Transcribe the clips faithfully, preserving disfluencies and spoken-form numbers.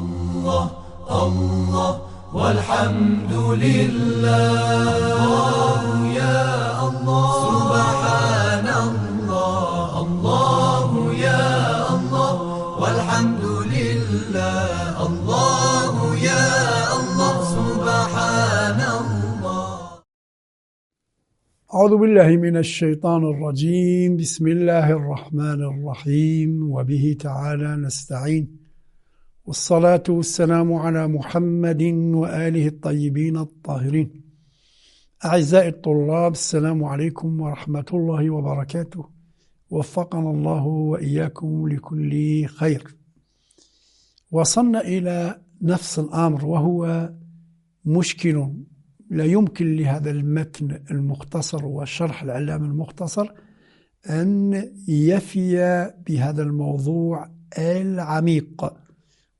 الله الله والحمد لله. الله يا الله سبحان الله. الله يا الله والحمد لله. الله يا الله سبحان الله. أعوذ بالله من الشيطان الرجيم. بسم الله الرحمن الرحيم، وبه تعالى نستعين، والصلاة والسلام على محمد وآله الطيبين الطاهرين. أعزائي الطلاب، السلام عليكم ورحمة الله وبركاته. وفقنا الله وإياكم لكل خير. وصلنا إلى نفس الأمر، وهو مشكل لا يمكن لهذا المتن المختصر والشرح العلامي المختصر أن يفي بهذا الموضوع العميق،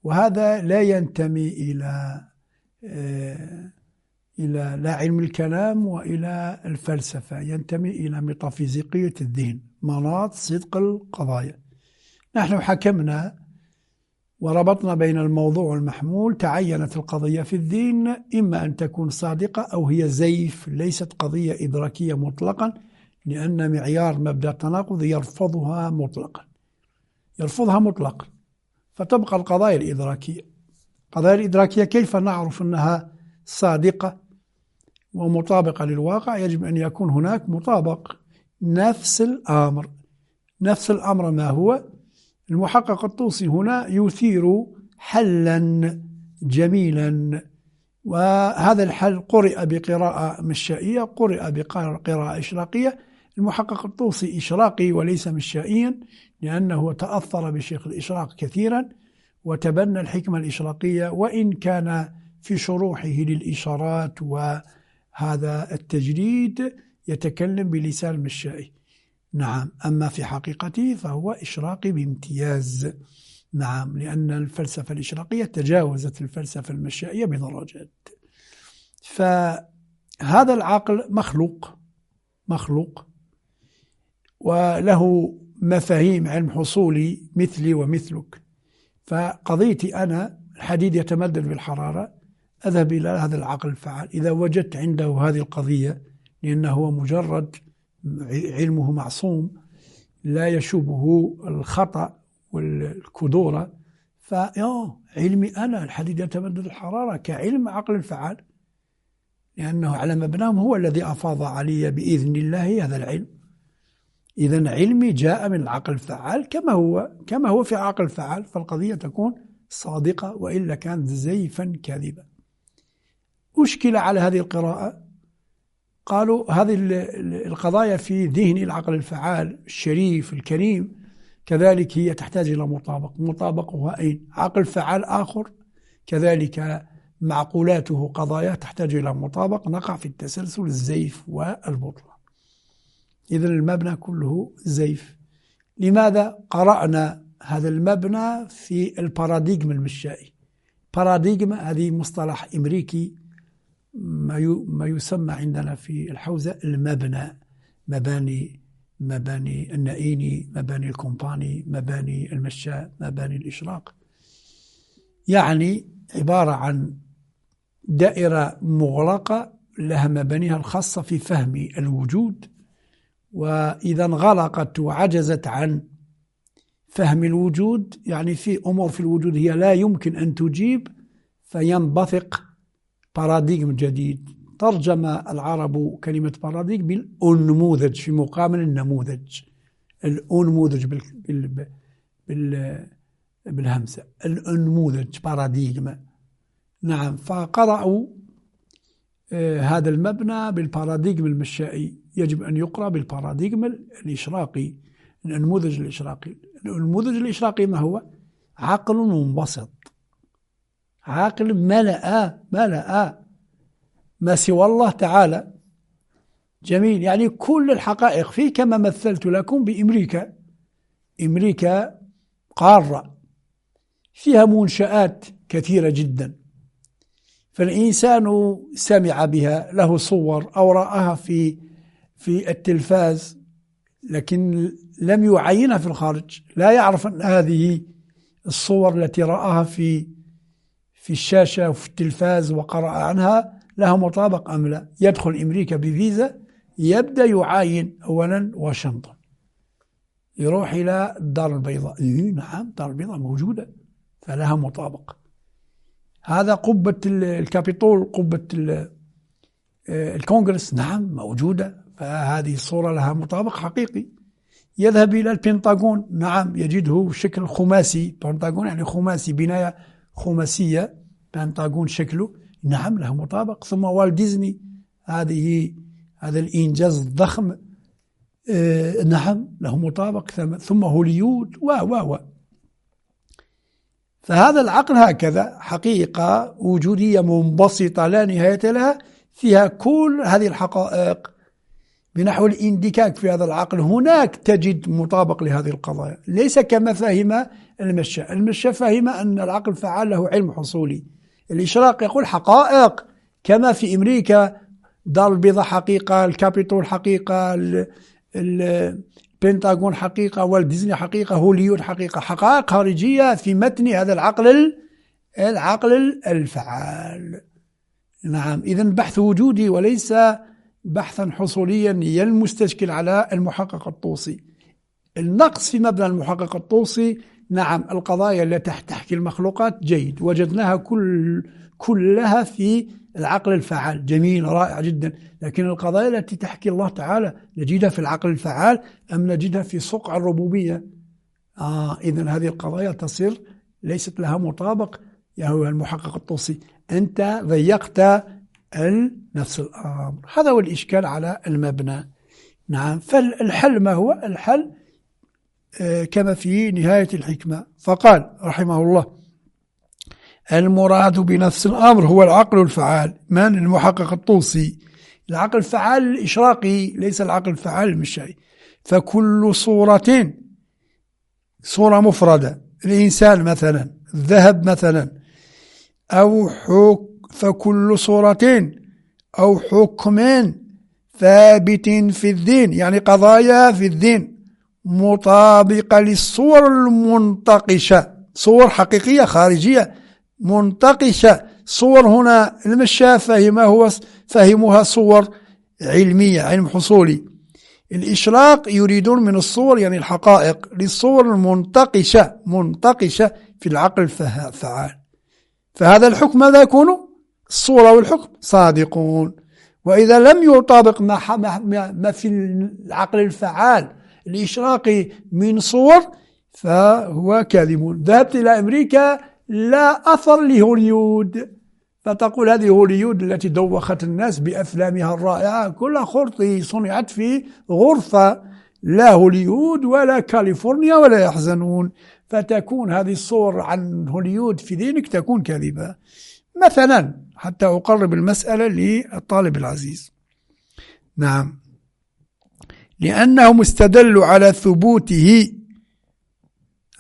وهذا لا ينتمي إلى إلى لا علم الكلام وإلى الفلسفة، ينتمي إلى ميتافيزيقية الذهن، مناط صدق القضايا. نحن حكمنا وربطنا بين الموضوع والمحمول. تعينت القضية في الذهن إما أن تكون صادقة أو هي زيف، ليست قضية إدراكية مطلقا، لأن معيار مبدأ التناقض يرفضها مطلقا يرفضها مطلقا فتبقى القضايا الإدراكية. القضايا الإدراكية كيف نعرف أنها صادقة ومطابقة للواقع؟ يجب أن يكون هناك مطابق. نفس الأمر نفس الأمر ما هو؟ المحقق الطوسي هنا يثير حلا جميلا، وهذا الحل قرئ بقراءة مشائية، قرئ بقراءة إشراقية. المحقق الطوسي إشراقي وليس مشائيا، لأنه تأثر بشيخ الإشراق كثيرا وتبنى الحكمة الإشراقية، وإن كان في شروحه للإشارات وهذا التجريد يتكلم بلسان مشائي. نعم، أما في حقيقته فهو إشراقي بامتياز. نعم، لأن الفلسفة الإشراقية تجاوزت الفلسفة المشائية بدرجات. فهذا العقل مخلوق مخلوق وله مفاهيم علم حصولي مثلي ومثلك. فقضيتي أنا الحديد يتمدد بالحرارة، أذهب إلى هذا العقل الفعال. إذا وجدت عنده هذه القضية، لأنه هو مجرد علمه معصوم لا يشوبه الخطأ والكدورة، فعلمي أنا الحديد يتمدد الحرارة كعلم عقل الفعال، لأنه على مبناهم هو الذي أفاض علي بإذن الله هذا العلم. إذن علمي جاء من العقل الفعال كما هو كما هو في عقل الفعال، فالقضية تكون صادقة، وإلا كانت زيفا كاذبا. أشكل على هذه القراءة، قالوا هذه القضايا في ذهن العقل الفعال الشريف الكريم كذلك هي تحتاج إلى مطابق. مطابقها أين؟ عقل فعال آخر كذلك معقولاته قضايا تحتاج إلى مطابق. نقع في التسلسل الزيف والبطلان. إذن المبنى كله زيف. لماذا قرأنا هذا المبنى في الباراديغم المشائي؟ باراديغم هذه مصطلح أمريكي، ما يسمى عندنا في الحوزة المبنى، مباني مباني النائيني، مباني الكومباني، مباني المشاء، مباني الإشراق. يعني عبارة عن دائرة مغلقة لها مبانيها الخاصة في فهم الوجود، وإذا انغلقت وعجزت عن فهم الوجود، يعني في أمور في الوجود هي لا يمكن أن تجيب، فينبثق باراديغم جديد. ترجم العرب كلمة باراديغم بالأنموذج في مقابل النموذج. الأنموذج بال بال بال بالهمزة، الأنموذج باراديغم. نعم، فقرأوا هذا المبنى بالباراديغم المشائي، يجب أن يقرأ بالباراديغم الإشراقي، الأنموذج الإشراقي. الأنموذج الإشراقي ما هو؟ عقل منبسط، عقل ملأ ملأ ما سوى الله تعالى. جميل، يعني كل الحقائق فيه، كما مثلت لكم بأمريكا. أمريكا قارة فيها منشآت كثيرة جدا، فالإنسان سمع بها، له صور أو رآها في في التلفاز، لكن لم يعينها في الخارج، لا يعرف أن هذه الصور التي رآها في في الشاشة وفي التلفاز وقرأ عنها لها مطابق أم لا. يدخل أمريكا بفيزا، يبدأ يعاين أولا واشنطن، يروح إلى الدار البيضاء، إيه نعم الدار البيضاء موجودة فلها مطابق. هذا قبة الكابيتول، قبة الكونغرس، نعم موجودة، فهذه الصورة لها مطابق حقيقي. يذهب إلى البنتاغون، نعم يجده شكل خماسي، بنتاغون يعني خماسي، بناية خماسية، بنتاغون شكله، نعم له مطابق. ثم والت ديزني، هذه هذا الإنجاز الضخم، آه نعم له مطابق. ثم هوليود و و و فهذا العقل هكذا حقيقة وجودية منبسطة لا نهاية لها، فيها كل هذه الحقائق. بنحو الاندكاك في هذا العقل هناك تجد مطابق لهذه القضايا، ليس كما فهم المشاء. المشاء فهم أن العقل فعال له علم حصولي، الإشراق يقول حقائق، كما في أمريكا دار البيضاء حقيقة، الكابيتول حقيقة، البنتاغون حقيقة، والديزني حقيقة، هوليود حقيقة، حقائق خارجية في متن هذا العقل، العقل الفعال. نعم، إذن بحث وجودي وليس بحثا حصوليا المستشكل على المحقق الطوسي. النقص في مبنى المحقق الطوسي، نعم القضايا التي تحكي المخلوقات جيد، وجدناها كل كلها في العقل الفعال، جميل رائع جدا، لكن القضايا التي تحكي الله تعالى نجدها في العقل الفعال أم نجدها في صقع الربوبية؟ آه إذن هذه القضايا تصير ليست لها مطابق يا هو المحقق الطوسي، أنت ضيقت نفس الأمر. هذا هو الإشكال على المبنى. نعم، فالحل ما هو؟ الحل آه كما في نهاية الحكمة، فقال رحمه الله: المراد بنفس الأمر هو العقل الفعال. من؟ المحقق الطوسي. العقل الفعال الإشراقي، ليس العقل الفعال المشائي. فكل صورة، صورة مفردة، الإنسان مثلا، الذهب مثلا، أو حكم، فكل صورة أو حكم ثابت في الدين، يعني قضايا في الدين مطابقة للصور المنتقشة، صور حقيقية خارجية منتقشة. صور هنا المشاة فهمها هو فهمها صور علمية، علم حصولي. الإشراق يريدون من الصور يعني الحقائق، للصور المنتقشة، منتقشة في العقل الفعال. فهذا الحكم ماذا يكون؟ الصورة والحكم صادقون. وإذا لم يطابق ما, ما في العقل الفعال الإشراقي من صور فهو كاذب. ذهبت إلى أمريكا لا أثر لهوليود، فتقول هذه هوليود التي دوخت الناس بأفلامها الرائعة كلها خرطي، صنعت في غرفة، لا هوليود ولا كاليفورنيا ولا يحزنون. فتكون هذه الصور عن هوليود في ذهنك تكون كاذبة مثلا، حتى أقرب المسألة للطالب العزيز. نعم، لأنهم استدلوا على ثبوته،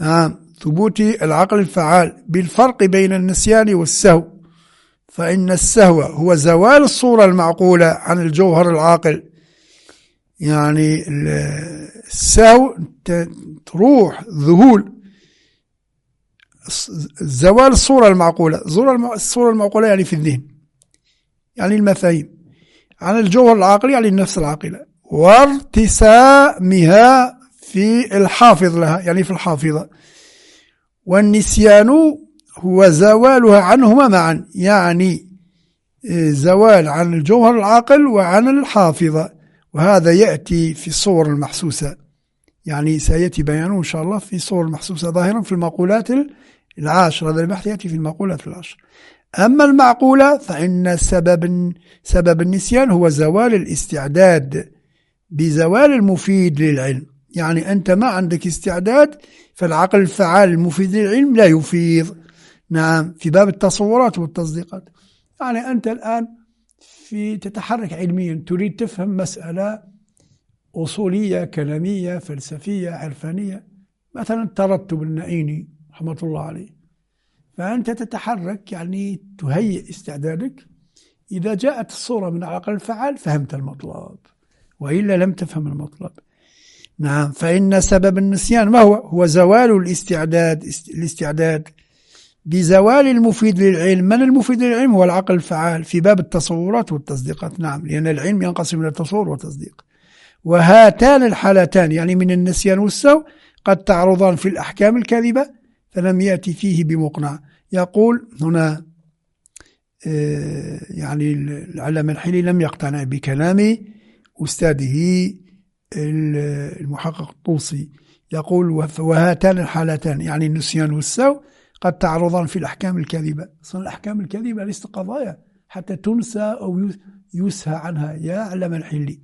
آه ثبوت العقل الفعال بالفرق بين النسيان والسهو، فإن السهو هو زوال الصورة المعقولة عن الجوهر العاقل. يعني السهو تروح ذهول، زوال الصورة المعقولة، الصورة المعقولة يعني في الذهن، يعني المفاهيم، عن الجوهر العاقل يعني النفس العاقلة، وارتسامها في الحافظ لها يعني في الحافظة. والنسيان هو زوالها عنهما معا، يعني زوال عن الجوهر العاقل وعن الحافظة، وهذا يأتي في الصور المحسوسة، يعني سيأتي بيانه إن شاء الله في الصور المحسوسة ظاهرا في المقولات العاشر. هذا البحث يأتي في المقولات العاشر. أما المعقولة فإن سبب سبب النسيان هو زوال الاستعداد بزوال المفيد للعلم، يعني أنت ما عندك استعداد، فالعقل الفعال المفيد للعلم لا يفيض. نعم، في باب التصورات والتصديقات، يعني أنت الآن في تتحرك علميا، تريد تفهم مسألة أصولية كلامية فلسفية عرفانية، مثلا الترتب النائيني رحمة الله عليه، فأنت تتحرك يعني تهيئ استعدادك. إذا جاءت الصورة من العقل الفعال فهمت المطلب، وإلا لم تفهم المطلب. نعم، فإن سبب النسيان ما هو؟ هو زوال الاستعداد، الاستعداد بزوال المفيد للعلم. من المفيد للعلم؟ هو العقل الفعال في باب التصورات والتصديقات. نعم، لأن العلم ينقسم إلى تصور وتصديق. وهاتان الحالتان يعني من النسيان والسهو قد تعرضان في الأحكام الكاذبة، فلم يأتي فيه بمقنع. يقول هنا يعني العلامة الحلي لم يقتنع بكلام أستاذه المحقق الطوسي. يقول وهاتان الحالتان يعني النسيان والسهو قد تعرضان في الأحكام الكاذبة. أصلا الأحكام الكاذبة ليست قضايا حتى تنسى أو يسهى عنها يا علامة الحلي.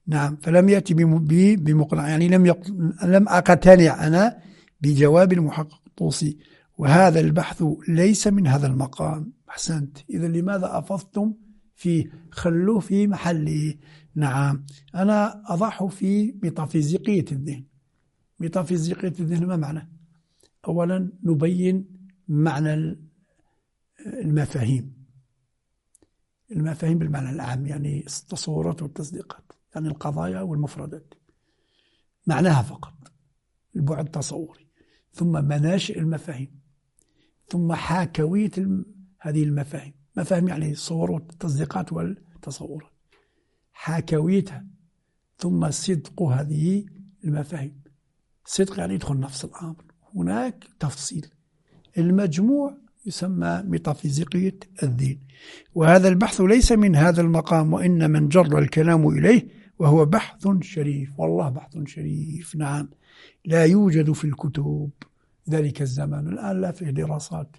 نعم، فلم يأتي بمقنع، يعني لم يق... لم أقتنع أنا بجواب المحقق الطوسي، وهذا البحث ليس من هذا المقام. أحسنت. إذا لماذا أفضتم فيه؟ خلوه في محله. نعم، أنا أضعه في ميتافيزيقية الذهن. ميتافيزيقية الذهن ما معنى؟ أولا نبين معنى المفاهيم، المفاهيم بالمعنى العام يعني التصورات والتصديقات، يعني القضايا والمفردات، معناها فقط البعد التصوري، ثم مناشئ المفاهيم، ثم حاكوية هذه المفاهيم. مفاهيم يعني الصور والتصديقات والتصورات، حاكويتها، ثم صدق هذه المفاهيم. صدق يعني يدخل نفس الأمر، هناك تفصيل. المجموع يسمى ميتافيزيقية الدين. وهذا البحث ليس من هذا المقام، وإن من جر الكلام إليه وهو بحث شريف. والله بحث شريف. نعم، لا يوجد في الكتب ذلك الزمان. الآن لا فيه دراسات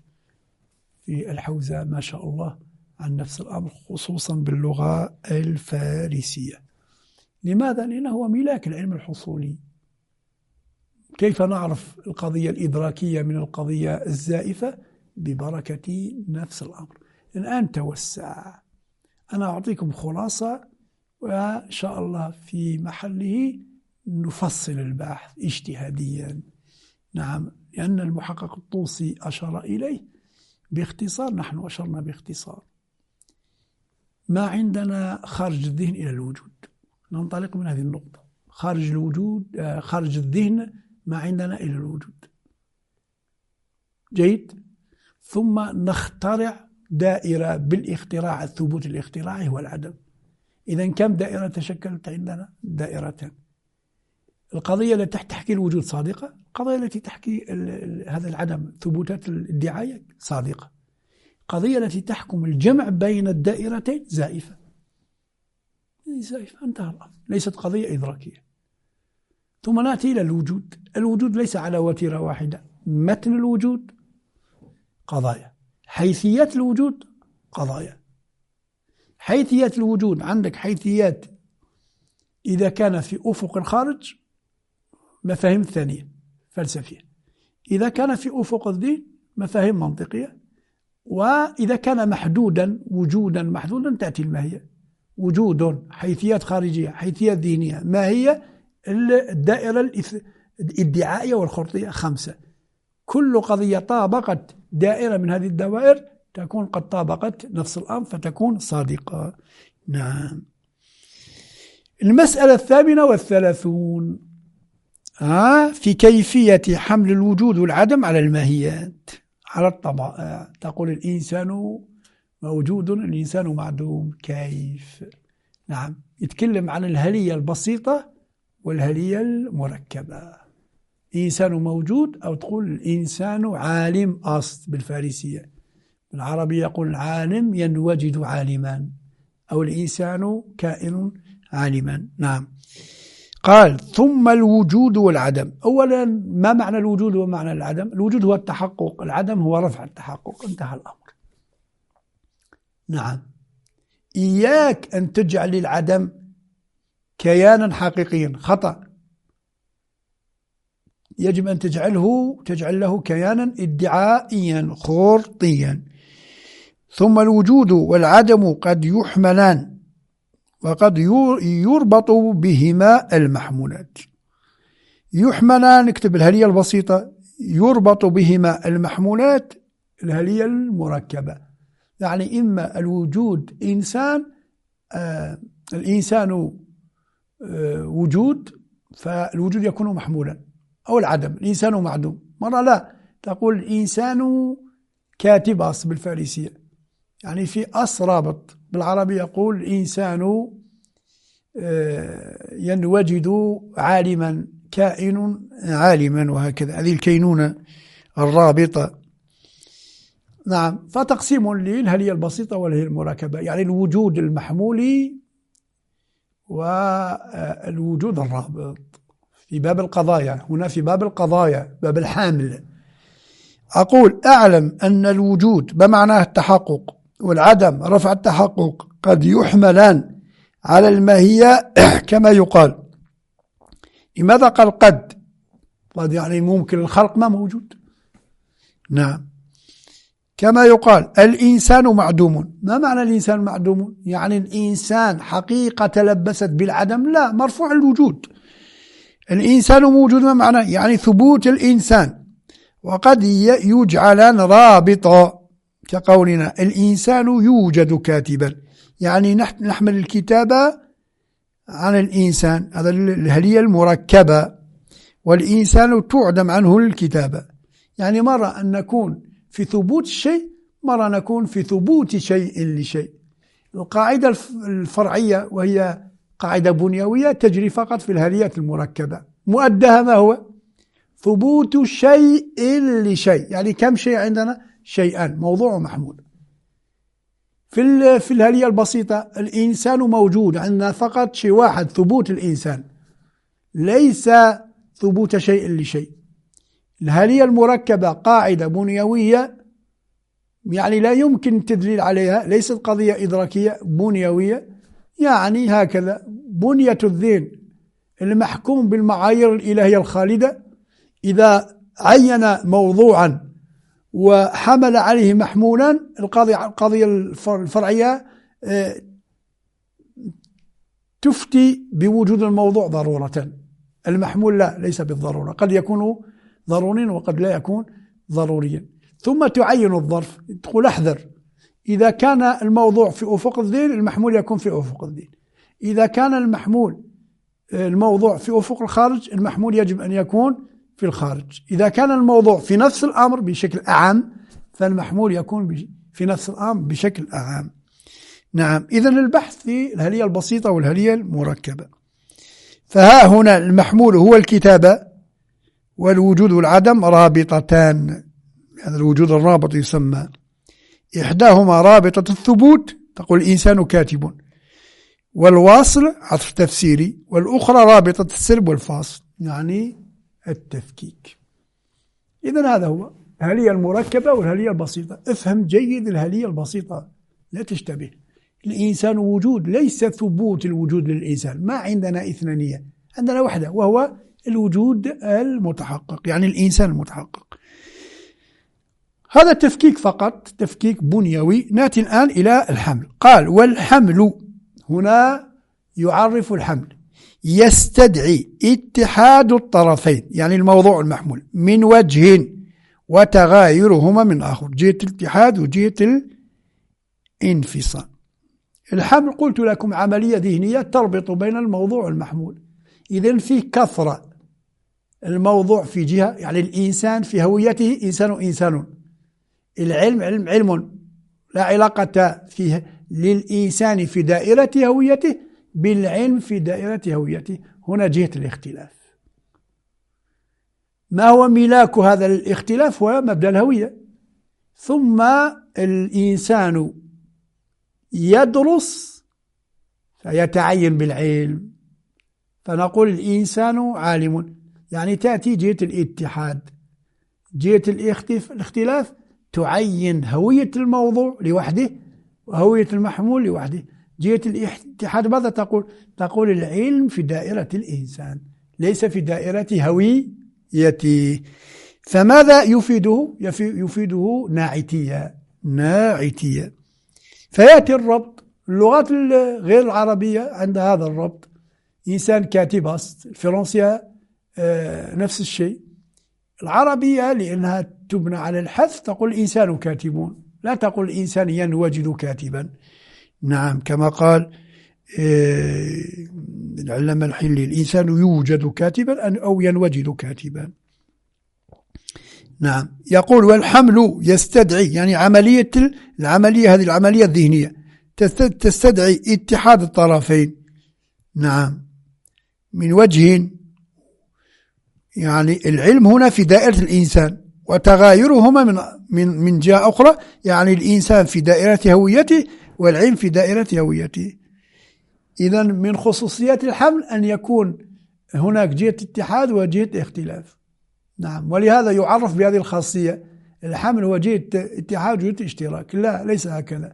في الحوزة ما شاء الله عن نفس الأمر، خصوصا باللغة الفارسية. لماذا؟ لأنه هو ملاك العلم الحصولي. كيف نعرف القضية الإدراكية من القضية الزائفة؟ ببركة نفس الأمر. الآن توسع. أنا أعطيكم خلاصة، وإن شاء الله في محله نفصل البحث اجتهاديا. نعم، لأن المحقق الطوسي أشار إليه باختصار، نحن أشرنا باختصار. ما عندنا خارج الذهن إلى الوجود، ننطلق من هذه النقطة. خارج الوجود، خارج الذهن ما عندنا إلى الوجود. جيد. ثم نخترع دائرة بالاختراع، الثبوت الاختراعي هو العدم. إذن كم دائرة تشكلت عندنا؟ دائرتان. القضية التي تحكي الوجود صادقة، القضية التي تحكي هذا العدم ثبوتات الادعاية صادقة. القضية التي تحكم الجمع بين الدائرتين زائفة، زائفة، انتهى الأمر، ليست قضية إدراكية. ثم نأتي إلى الوجود. الوجود ليس على وتيرة واحدة. متن الوجود قضايا، حيثيات الوجود قضايا. حيثيات الوجود عندك حيثيات إذا كان في أفق الخارج مفاهيم ثانية فلسفية، إذا كان في أفق الدين مفاهيم منطقية، وإذا كان محدودا وجودا محدودا تأتي الماهية. وجود حيثيات خارجية، حيثيات دينية، ما هي الدائرة الادعائية والخرطية؟ خمسة. كل قضية طابقت دائرة من هذه الدوائر تكون قد طابقت نفس الأمر فتكون صادقة. نعم. المسألة الثامنة والثلاثون آه في كيفية حمل الوجود والعدم على الماهيات، على الطبائع. تقول الإنسان موجود، الإنسان معدوم، كيف؟ نعم، يتكلم عن الهلية البسيطة والهلية المركبة. إنسان موجود، أو تقول الإنسان عالم أصل بالفارسية، بالعربية يقول عالم ينوجد عالما، أو الإنسان كائن عالما. نعم. قال ثم الوجود والعدم. أولا ما معنى الوجود ومعنى العدم؟ الوجود هو التحقق، العدم هو رفع التحقق، انتهى الأمر. نعم. إياك أن تجعل العدم كيانا حقيقيا، خطأ. يجب أن تجعله تجعل له كيانا ادعائيا خرطيا. ثم الوجود والعدم قد يحملان وقد يربط بهما المحمولات. يحملان، نكتب الهلية البسيطة، يربط بهما المحمولات الهلية المركبة. يعني إما الوجود إنسان، آه الإنسان آه وجود، فالوجود يكون محمولا، أو العدم الإنسان معدوم. مرة لا، تقول الإنسان كاتب أص بالفارسية، يعني في أص رابط. بالعربي يقول الإنسان ينوجد عالما، كائن عالما، وهكذا. هذه الكينونة الرابطة. نعم. فتقسيم للهلية البسيطة والهلية المركبة، يعني الوجود المحمولي والوجود الرابط في باب القضايا. هنا في باب القضايا، باب الحامل. أقول أعلم أن الوجود بمعناه التحقق والعدم رفع التحقق قد يحملان على الماهية كما يقال. لماذا قال قد؟ قد يعني ممكن الخلق ما موجود. نعم. كما يقال الإنسان معدوم. ما معنى الإنسان معدوم؟ يعني الإنسان حقيقة تلبست بالعدم؟ لا، مرفوع الوجود. الإنسان موجود، ما معنى؟ يعني ثبوت الإنسان. وقد يجعلان رابطا كقولنا الإنسان يوجد كاتبا، يعني نحمل الكتابة عن الإنسان، هذا الهلية المركبة، والإنسان تعدم عنه الكتابة. يعني مرة أن نكون في ثبوت الشيء، مرة نكون في ثبوت شيء لشيء. القاعدة الفرعية وهي قاعدة بنيوية تجري فقط في الهليات المركبة، مؤدها ما هو؟ ثبوت شيء لشيء. يعني كم شيء عندنا؟ شيئان، موضوع محمول. في في الهلية البسيطة الإنسان موجود، عندنا فقط شيء واحد، ثبوت الإنسان، ليس ثبوت شيء لشيء. الهلية المركبة قاعدة بنيوية، يعني لا يمكن التدليل عليها، ليست قضية إدراكية، بنيوية. يعني هكذا بنية الذهن المحكوم بالمعايير الإلهية الخالدة، إذا عين موضوعا وحمل عليه محمولا، القضية القضية الفرعية تفتي بوجود الموضوع ضرورة، المحمول لا، ليس بالضرورة، قد يكون ضروريا وقد لا يكون ضروريا. ثم تعين الظرف، تقول احذر، إذا كان الموضوع في أفق الذهن المحمول يكون في أفق الذهن، إذا كان المحمول الموضوع في أفق الخارج المحمول يجب أن يكون في الخارج، إذا كان الموضوع في نفس الأمر بشكل أعم فالمحمول يكون في نفس الأمر بشكل أعم. نعم. إذن البحث في الهلية البسيطة والهلية المركبة. فها هنا المحمول هو الكتابة، والوجود والعدم رابطتان، هذا الوجود الرابط يسمى. إحداهما رابطة الثبوت، تقول الإنسان كاتب، والواصل عطف تفسيري، والأخرى رابطة السلب والفاصل، يعني التفكيك. إذن هذا هو الهلية المركبة والهلية البسيطة. افهم جيد الهلية البسيطة، لا تشتبه. الإنسان وجود، ليس ثبوت الوجود للإنسان، ما عندنا إثنانية، عندنا وحدة وهو الوجود المتحقق، يعني الإنسان المتحقق. هذا التفكيك فقط، تفكيك بنيوي. نأتي الآن إلى الحمل. قال والحمل، هنا يعرف الحمل، يستدعي اتحاد الطرفين، يعني الموضوع المحمول، من وجه وتغايرهما من آخر، جهة الاتحاد وجهة الانفصال. الحمل قلت لكم عملية ذهنية تربط بين الموضوع والمحمول. إذن في كثرة، الموضوع في جهة، يعني الإنسان في هويته إنسان إنسان، العلم علم علم، لا علاقة فيه للإنسان في دائرة هويته بالعلم في دائرة هويته. هنا جهة الاختلاف. ما هو ملاك هذا الاختلاف؟ هو مبدأ الهوية. ثم الإنسان يدرس فيتعين بالعلم، فنقول الإنسان عالم، يعني تأتي جهة الاتحاد. جهة الاختلاف تعين هوية الموضوع لوحده وهوية المحمول لوحده. جهة الاتحاد ماذا تقول؟ تقول العلم في دائرة الإنسان ليس في دائرة هويته. فماذا يفيده؟ يفيده ناعتية، ناعتية. فيأتي الربط. اللغات غير العربية عندها هذا الربط، إنسان كاتب أصل، الفرنسية نفس الشيء. العربية لأنها تبنى على الحذف تقول الإنسان كاتبون، لا تقول الإنسان ينوجد كاتبا. نعم، كما قال العلامة الحلي: الإنسان يوجد كاتبا أو ينوجد كاتبا. نعم، يقول والحمل يستدعي، يعني عملية العملية هذه العملية الذهنية تستدعي اتحاد الطرفين. نعم، من وجه، يعني العلم هنا في دائرة الإنسان وتغايرهما من من من جهة أخرى، يعني الإنسان في دائرة هويته والعلم في دائرة هويته. إذا من خصوصيات الحمل أن يكون هناك جهة اتحاد وجهة اختلاف. نعم، ولهذا يعرف بهذه الخاصية، الحمل هو جهة اتحاد وجهة اشتراك. لا، ليس هكذا.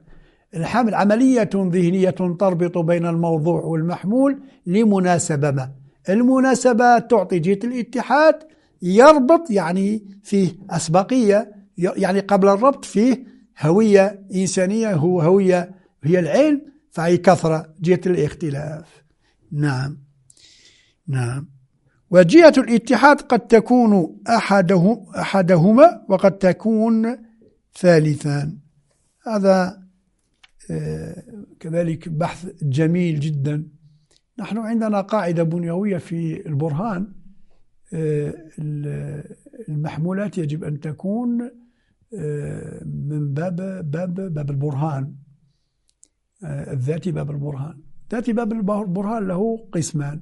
الحمل عملية ذهنية تربط بين الموضوع والمحمول لمناسبة ما، المناسبة تعطي جهة الاتحاد، يربط يعني فيه أسبقية، يعني قبل الربط فيه هوية إنسانية، هو هوية هي العلم، فهي كثرة جهة الاختلاف. نعم نعم، وجهة الاتحاد قد تكون أحده أحدهما وقد تكون ثالثا. هذا كذلك بحث جميل جدا. نحن عندنا قاعدة بنيوية في البرهان، المحمولات يجب أن تكون من باب باب باب البرهان الذاتي، باب البرهان ذاتي. باب البرهان له قسمان: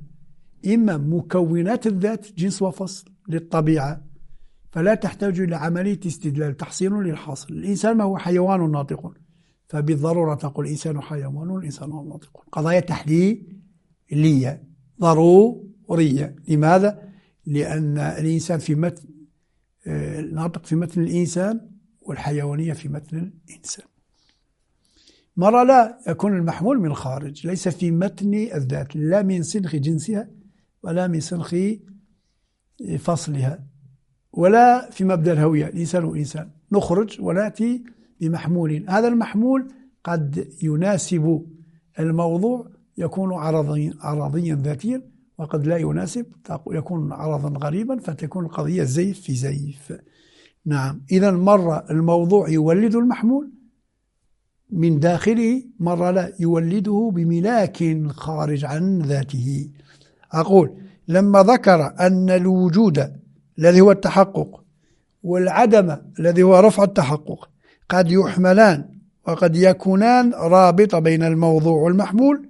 إما مكونات الذات جنس وفصل للطبيعة، فلا تحتاج إلى عملية استدلال، تحصيل للحاصل. الإنسان ما هو حيوان ناطق، فبالضرورة تقول الإنسان حيوان والإنسان ناطق. قضايا تحليلية ضرورية. لماذا؟ لأن الإنسان في متن الناطق في متن الإنسان، والحيوانية في متن الإنسان. مرة لا يكون المحمول من الخارج، ليس في متن الذات، لا من سنخ جنسها ولا من سنخ فصلها ولا في مبدأ الهوية، الإنسان وإنسان. نخرج ونأتي بمحمول، هذا المحمول قد يناسب الموضوع يكون عرضيا, عرضيا ذاتيا، وقد لا يناسب يكون عرضا غريبا، فتكون القضية زيف في زيف. نعم، إذا مرة الموضوع يولد المحمول من داخله، مرة لا يولده بملاك خارج عن ذاته. أقول لما ذكر أن الوجود الذي هو التحقق والعدم الذي هو رفع التحقق قد يحملان وقد يكونان رابطة بين الموضوع والمحمول،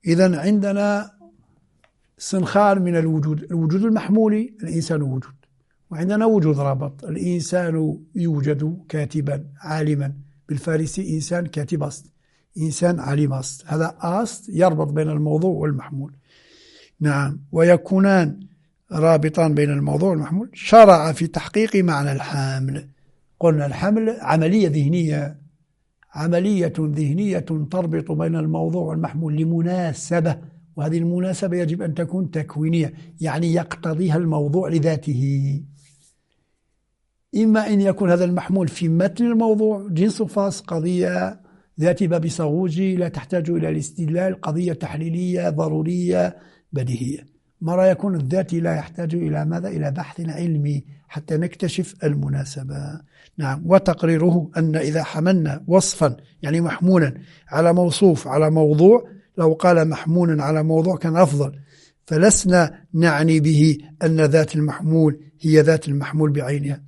إذن عندنا سنخان من الوجود: الوجود المحمولي الإنسان وجود، وعندنا وجود رابط، الإنسان يوجد كاتبا عالما، بالفارسي إنسان كاتب أست، إنسان عالم أست، هذا أست يربط بين الموضوع والمحمول. نعم، ويكونان رابطان بين الموضوع والمحمول. شرع في تحقيق معنى الحمل. قلنا الحمل عملية ذهنية، عملية ذهنية تربط بين الموضوع والمحمول لمناسبة، وهذه المناسبة يجب أن تكون تكوينية، يعني يقتضيها الموضوع لذاته. إما أن يكون هذا المحمول في متن الموضوع، جنس فاس، قضية ذات باب صاغوجي لا تحتاج إلى الاستدلال، قضية تحليلية ضرورية بديهية. مرة يكون الذاتي لا يحتاج إلى ماذا؟ إلى بحث علمي حتى نكتشف المناسبة. نعم، وتقريره أن إذا حملنا وصفا يعني محمولا على موصوف على موضوع، لو قال محمولا على موضوع كان أفضل، فلسنا نعني به أن ذات المحمول هي ذات المحمول بعينها.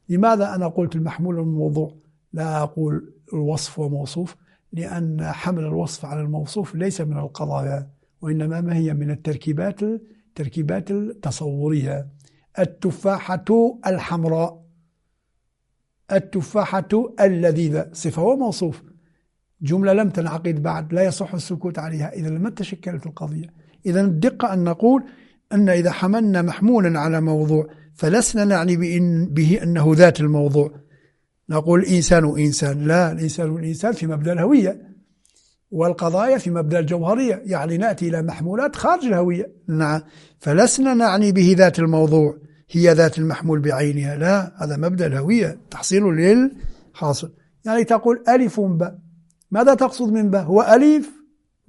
لماذا أنا قلت المحمول والموضوع لا أقول الوصف وموصوف؟ لأن حمل الوصف على الموصوف ليس من القضايا، وإنما ما هي من التركيبات التركيبات التصورية. التفاحة الحمراء، التفاحة اللذيذة، صفة وموصوف، جملة لم تنعقد بعد، لا يصح السكوت عليها، إذا لم تشكلت القضية. إذا الدقة أن نقول أن إذا حملنا محمولا على موضوع فلسنا نعني بإن به أنه ذات الموضوع. نقول إنسان إنسان، لا، الإنسان والإنسان في مبدأ الهوية، والقضايا في مبدأ الجوهرية، يعني نأتي إلى محمولات خارج الهوية. نعم، فلسنا نعني به ذات الموضوع هي ذات المحمول بعينها، لا، هذا مبدأ الهوية، تحصيل للحاصل. يعني تقول ألف باء، ماذا تقصد من باء؟ هو ألف؟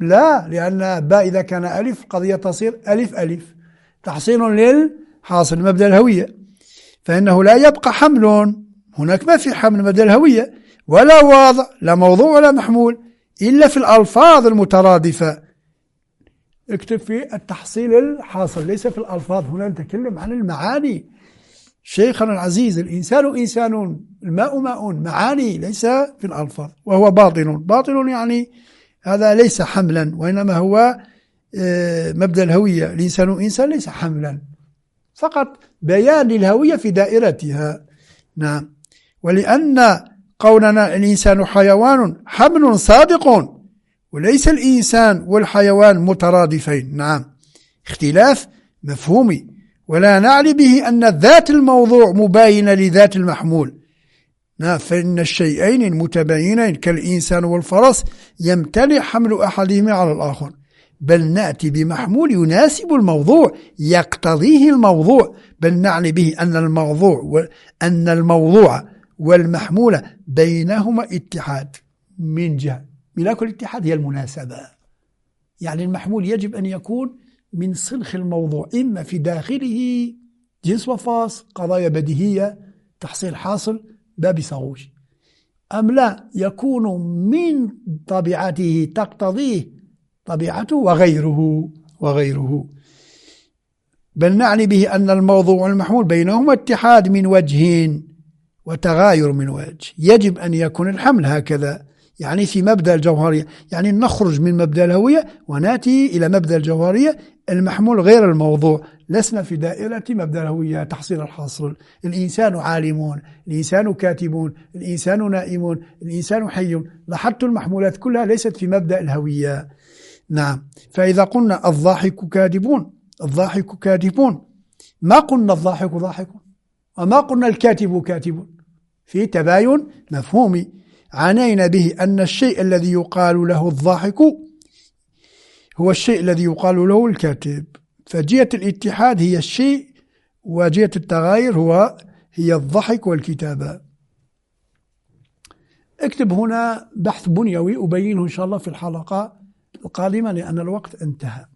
لا، لأن باء إذا كان ألف قضية تصير ألف ألف، تحصيل للحاصل مبدأ الهوية. فإنه لا يبقى حمل، هناك ما في حمل مبدأ الهوية، ولا واضع، لا موضوع ولا محمول، إلا في الألفاظ المترادفة. اكتب في التحصيل الحاصل، ليس في الألفاظ، هنا نتكلم عن المعاني. شيخنا العزيز، الإنسان إنسان، الماء ماء، معاني ليس في الألفاظ، وهو باطل. باطل يعني هذا ليس حملا، وإنما هو مبدأ الهوية. الإنسان إنسان ليس حملا، فقط بيان للهوية في دائرتها. نعم. ولأن قولنا الإنسان حيوان حمل صادق، وليس الإنسان والحيوان مترادفين. نعم، اختلاف مفهومي، ولا نعني به أن ذات الموضوع مباينة لذات المحمول. نعم، فإن الشيئين المتباينين كالإنسان والفرس يمتنع حمل أحدهما على الآخر، بل نأتي بمحمول يناسب الموضوع، يقتضيه الموضوع، بل نعني به أن الموضوع أن الموضوع والمحمول بينهما اتحاد من جهة. ملاك الاتحاد هي المناسبة، يعني المحمول يجب أن يكون من سلخ الموضوع، إما في داخله جنس وفاص، قضايا بديهية، تحصيل حاصل، باب صغوش، أم لا يكون من طبيعته تقتضيه طبيعته وغيره وغيره. بل نعني به أن الموضوع والمحمول بينهما اتحاد من وجه وتغاير من وجه. يجب أن يكون الحمل هكذا، يعني في مبدأ الجوهرية، يعني نخرج من مبدأ الهوية ونأتي إلى مبدأ الجوهرية، المحمول غير الموضوع. لسنا في دائرة مبدأ الهوية تحصيل الحاصل. الإنسان عالمون، الإنسان كاتبون، الإنسان نائمون، الإنسان حي. لاحظت المحمولات كلها ليست في مبدأ الهوية. نعم. فإذا قلنا الضاحك كاذبون، الضاحك كاذبون، ما قلنا الضاحك ضاحك، وما قلنا الكاتب كاتب، في تباين مفهومي. عانينا به أن الشيء الذي يقال له الضاحك هو الشيء الذي يقال له الكاتب، فجهة الاتحاد هي الشيء، وجهة التغاير هو هي الضحك والكتابة. اكتب هنا بحث بنيوي أبينه إن شاء الله في الحلقة القادمة لأن الوقت انتهى.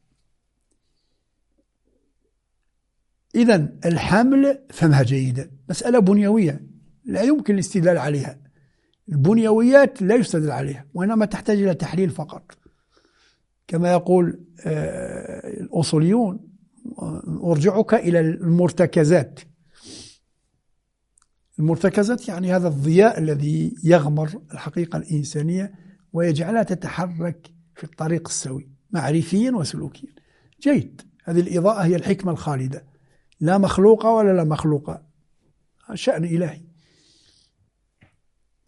إذن الحمل فهمها جيدا، مسألة بنيوية لا يمكن الاستدلال عليها، البنيويات لا يستدل عليها، وإنما تحتاج إلى تحليل فقط. كما يقول الأصوليون أرجعك إلى المرتكزات. المرتكزات يعني هذا الضياء الذي يغمر الحقيقة الإنسانية ويجعلها تتحرك في الطريق السوي معرفيا وسلوكيا. جيد، هذه الإضاءة هي الحكمة الخالدة، لا مخلوقة ولا لا مخلوقة، شأن إلهي.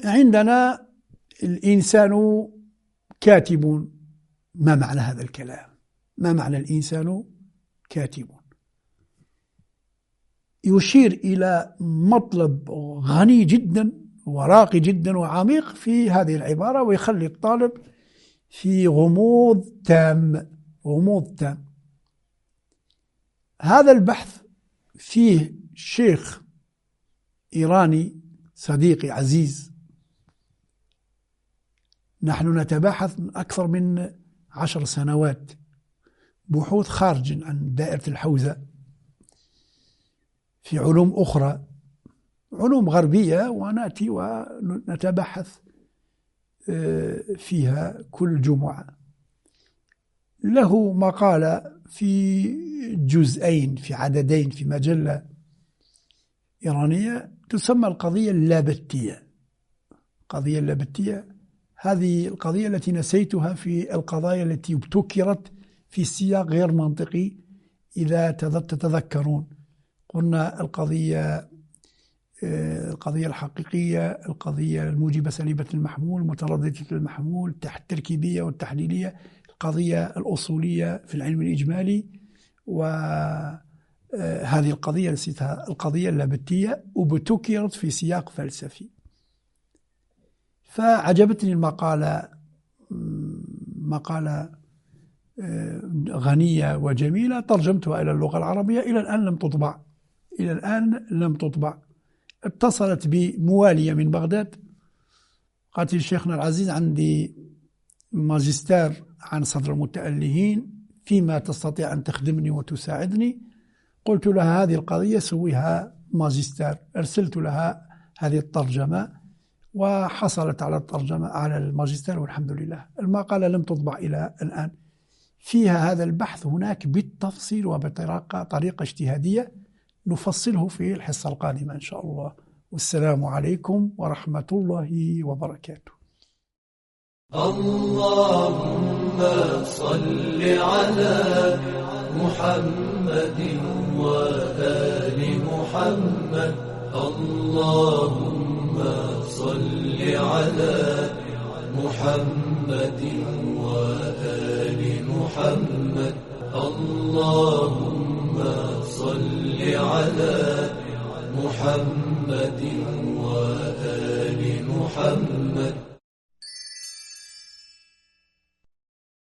عندنا الإنسان كاتب، ما معنى هذا الكلام؟ ما معنى الإنسان كاتب؟ يشير إلى مطلب غني جدا وراقي جدا وعميق في هذه العبارة، ويخلي الطالب في غموض تام، غموض تام. هذا البحث فيه شيخ إيراني صديقي عزيز، نحن نتباحث من أكثر من عشر سنوات، بحوث خارج عن دائرة الحوزة في علوم أخرى، علوم غربية، ونأتي ونتبحث فيها كل جمعة. له مقالة في جزئين، في عددين، في مجلة إيرانية تسمى القضية اللابتية. القضية اللابتية هذه القضية التي نسيتها في القضايا التي ابتكرت في سياق غير منطقي إذا تتذكرون. قلنا القضية القضية الحقيقية، القضية الموجبة سليبة المحمول، مترددة المحمول، التركيبية والتحليلية، القضية الأصولية في العلم الإجمالي، وهذه القضية نسيتها، القضية اللابتية، وابتكرت في سياق فلسفي. فعجبتني المقالة، مقالة غنية وجميلة، ترجمتها إلى اللغة العربية، إلى الآن لم تطبع، إلى الآن لم تطبع. اتصلت بموالية من بغداد، قالت لي شيخنا العزيز عندي ماجستير عن صدر المتألهين، فيما تستطيع أن تخدمني وتساعدني؟ قلت لها هذه القضية سويها ماجستير. أرسلت لها هذه الترجمة وحصلت على الترجمة على الماجستير والحمد لله. المقالة لم تطبع إلى الآن، فيها هذا البحث هناك بالتفصيل وبطريقة طريقة اجتهادية نفصله في الحصة القادمة إن شاء الله. والسلام عليكم ورحمة الله وبركاته. اللهم صل على محمد وآل محمد. اللهم صل على محمد وآل محمد. اللهم صل على محمد وآل محمد.